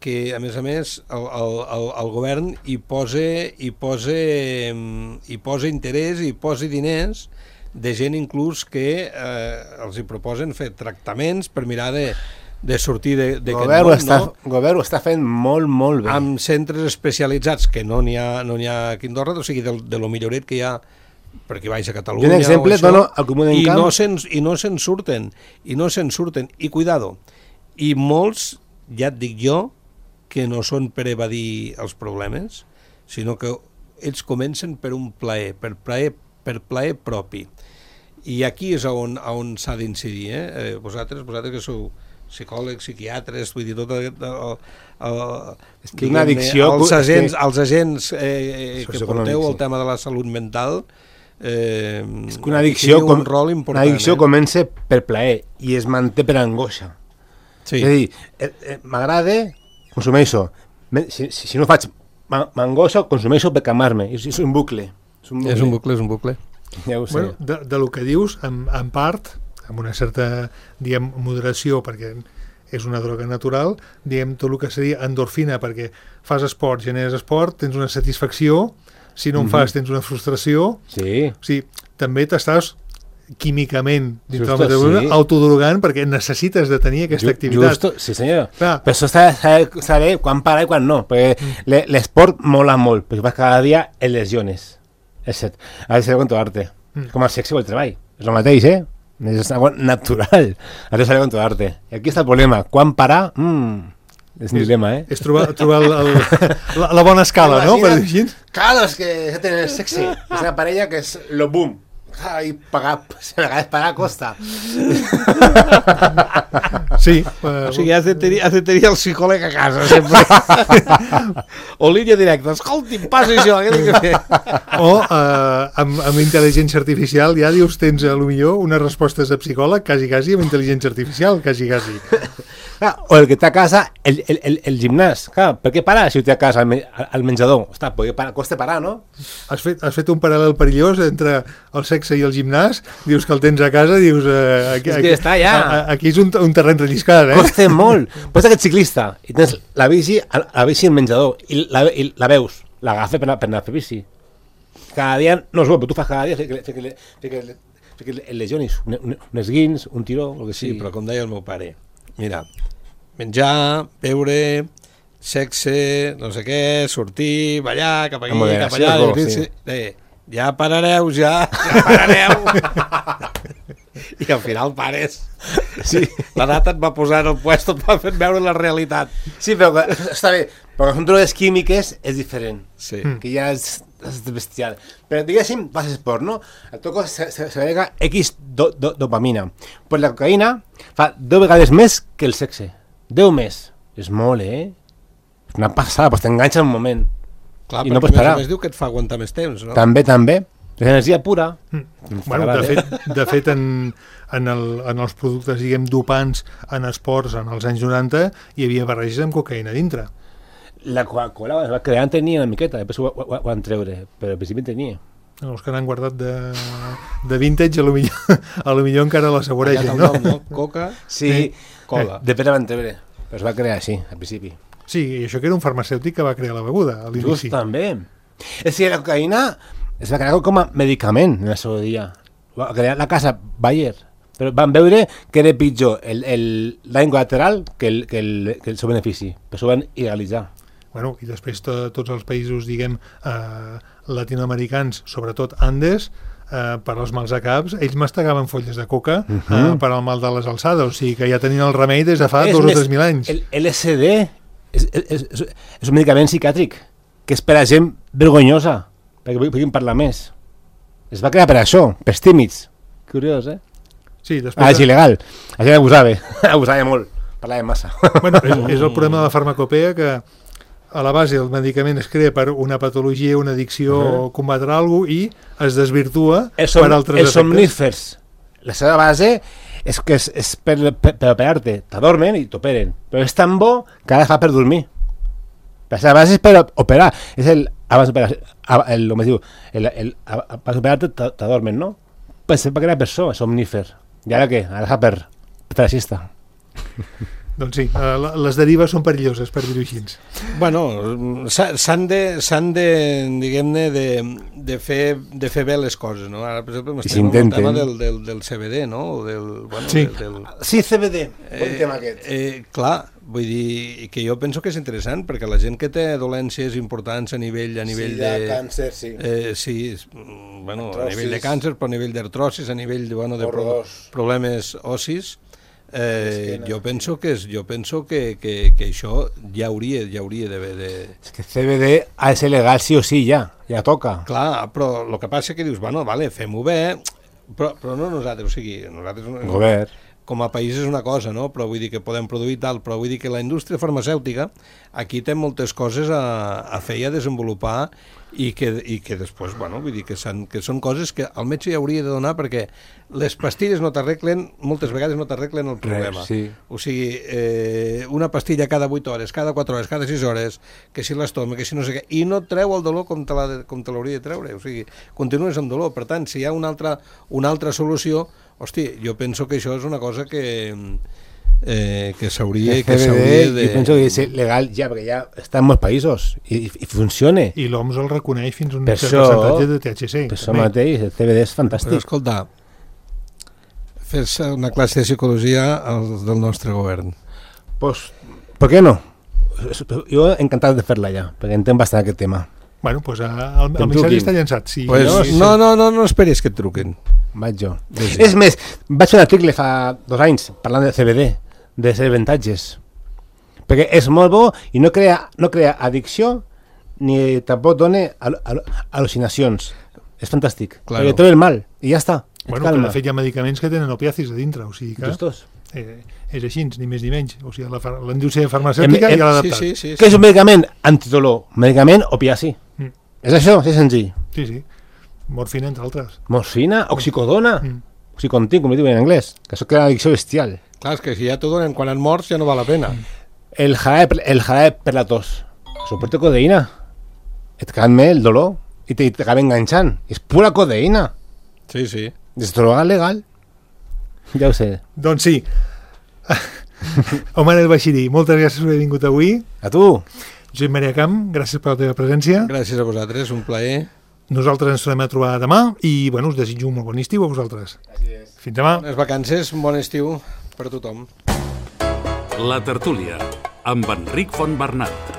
que, a més, el govern hi posa interès, hi posa diners de gent inclús que els hi proposen fer tractaments per mirar de sortir d'aquest món, no? El govern ho està fent molt, molt bé. Amb centres especialitzats, que no n'hi ha aquí a Andorra, o sigui, de lo milloret que hi ha perquè vaig a Catalunya. Un exemple, dono al Comú d'Encamp. I no se'n surten. I cuidado, i molts, ja et dic jo, que no són per evadir els problemes, sinó que ells comencen per un plaer, per plaer propi. I aquí és on s'ha d'incidir. Vosaltres que sou psicòlegs, psiquiatres, vull dir, tot és que una addicció, els agents que porteu el tema de la salut mental, és que una addicció, un rol important. Una addicció comença per plaer i es manté per angoixa. Sí. És a dir, m'agrada, consumeixo. Si no faig, m'angoixo, consumeixo per calmar-me. És un bucle. És un bucle. Ja ho sé. Bueno, de lo que dius, en part, amb una certa, diguem, moderació, perquè és una droga natural, diguem, tot el que seria endorfina, perquè fas esport, generes esport, tens una satisfacció, si no en fas tens una frustració, sí. O sigui, també t'estàs químicament dins del metabolisme autodrogant perquè necessites de tenir aquesta activitat. Sí, senyor. Però això s'ha de saber quan parar i quan no, perquè l'esport mola molt, perquè vas cada dia en lesiones. És cert. Has de saber controlar-te. Com el sexe o el treball. És el mateix, és algo natural. Has de saber controlar-te. I aquí està el problema. Quan parar? És un dilema, És trobar la bona escala, no? Per dir així. Claro, és que tenen el sexe. És una parella que és lo boom. I pagar, a vegades pagar costa. Sí. O sigui, has de tenir el psicòleg a casa, sempre. O línia directa. Escolti, passa això, què tinc que fer? O amb intel·ligència artificial ja dius, tens a lo millor unes respostes de psicòleg quasi amb intel·ligència artificial, quasi. O el que té a casa, el gimnàs. Clar, per què parar si ho té a casa al menjador? Ostres, costa parar, no? Has fet un paral·lel perillós entre el sexe i el gimnàs, dius que el tens a casa, dius... Aquí està, ja. Aquí és un terreny relliscat, Costa molt. Pots aquest ciclista i tens la bici al menjador i la veus, l'agafa per anar a fer bici. Cada dia no es veu, però tu fas cada dia que el lesionis, un esguins, un tiró, el que sigui. Sí, però com deia el meu pare, mira, menjar, beure, sexe, no sé què, sortir, ballar, cap aquí, cap allà, ja parareu. I al final pares. Sí. L'edat et va posar en el puesto, et va fer veure la realitat. Sí, però està bé, però són drogues químiques és diferent, que ja és bestial. Però diguéssim, fas esport, no? El toco s'agrega X dopamina. Pues la cocaïna fa 10 vegades més que el sexe. 10 més. És molt, És una passada, doncs t'enganxa un moment. Clar, i no pots parar. A més diu que et fa aguantar més temps, no? També. L'energia pura. Bueno, de fet en els productes, diguem, dopants en esports en els anys 90 hi havia barreges amb cocaïna dintre. La Coca-Cola es va crear, tenia una miqueta, després ho van treure, però al principi tenia. Els que n'han guardat de vintage, a lo millor encara la saboregen, no? Coca, sí, cola. Després la van treure, però es va crear així, al principi. Sí, i això que era un farmacèutic que va crear la beguda a l'inici. Just també. És que la cocaïna es va crear com a medicament en el seu dia. Va crear la casa Bayer, però van veure que era pitjor el dany col·lateral que el seu benefici, però s'ho van il·legalitzar. Bueno, i després tots els països, diguem, latinoamericans, sobretot Andes, per als mals de caps, ells mastegaven folles de coca per al mal de les alçades, o sigui que ja tenien el remei des de fa 2 o 3.000 anys. El LSD és un medicament psiquiàtric que és per a gent vergonyosa, perquè puguin parlar més. Es va crear per això, pels tímids. Curiós, Sí, després... és il·legal. La gent abusava molt, parlava massa. Bueno, és el problema de la farmacopea, que a la base el medicament es crea per una patologia, una addicció o combatre alguna cosa i es desvirtua per altres efectes. Els somnífers, la seva base és que és per operar-te. T'adormen i t'operen, però és tan bo que ara fa per dormir. A vegades és per operar. És abans d'operar, el que diu, abans d'operar t'adormen, no? Pensem que era per això, somnífer. I ara què? Ara per la siesta. Doncs sí, les derives són perilloses, per dir-ho així. Bueno, s'han de diguem-ne, de fer bé les coses, no? Ara, per exemple, estem amb el tema del CBD, no? Sí, CBD, bon tema aquest. Clar, vull dir que jo penso que és interessant, perquè la gent que té dolències importants a nivell de càncer, sí. Sí, bueno, a nivell de càncer, però a nivell d'artrosis, a nivell de problemes ossis, jo penso que això ja hauria d'haver. És que CBD ha de ser legal sí o sí, ja toca. Clar, però el que passa és que dius, bueno, vale, fem-ho bé, però no nosaltres, o sigui, nosaltres... Govern. Com a país és una cosa, no? Però vull dir que podem produir tal, però vull dir que la indústria farmacèutica aquí té moltes coses a fer i a desenvolupar i que després, bueno, vull dir que són coses que el metge ja hauria de donar, perquè les pastilles no t'arreglen, moltes vegades no t'arreglen el problema. Sí. O sigui, una pastilla cada 8 hores, cada 4 hores, cada 6 hores, que si l'estoma, que si no sé què, i no treu el dolor com te l'hauria de treure, o sigui, continues amb dolor. Per tant, si hi ha una altra solució, hosti, jo penso que això és una cosa que s'hauria de... Jo penso que és legal ja, perquè ja està en molts països i funciona. I l'OMS el reconeix fins a un cert percentatge de THC. Per això mateix, el CBD és fantàstic. Però escolta, fer-se una classe de psicologia del nostre govern. Pues, ¿por qué no? Jo encantat de fer-la ja, perquè entenc bastant aquest tema. Bueno, doncs el missatge està llançat. Sí, pues no esperis que et truquen. Vaig jo. Sí. És més, vaig fer un article fa 2 anys parlant de CBD, de ser avantatges. Perquè és molt bo i no crea addicció ni tampoc dona al·lucinacions. És fantàstic. Claro. Perquè treu el mal i ja està. Bueno, però de fet hi ha medicaments que tenen opiacis a dintre, o sigui que... Justos. És així, ni més ni menys. O sigui, la indústria farmacèutica ja l'ha adaptat. Sí. Què és un medicament antidolor? Medicament opiaci. És això, és senzill. Sí. Morfina, entre altres. Morfina, oxicodona, oxicontin, com diuen en anglès, que això crea una addicció bestial. Clar, és que si ja t'ho donen quan et morts ja no val la pena. El jarabe per la tos. Suporta codeïna. Et calma el dolor i t'acaba enganxant. És pura codeïna. Sí. És droga legal. Ja ho sé. Doncs sí. Omar El Bashiri, moltes gràcies per haver vingut avui. A tu. Josep Maria Camp, gràcies per la teva presència. Gràcies a vosaltres, un plaer. Nosaltres ens tornem a trobar demà i bueno, us desitjo un molt bon estiu a vosaltres. Gràcies. Fins demà. Bones vacances, bon estiu per a tothom. La tertúlia, amb Enric Fontbernat.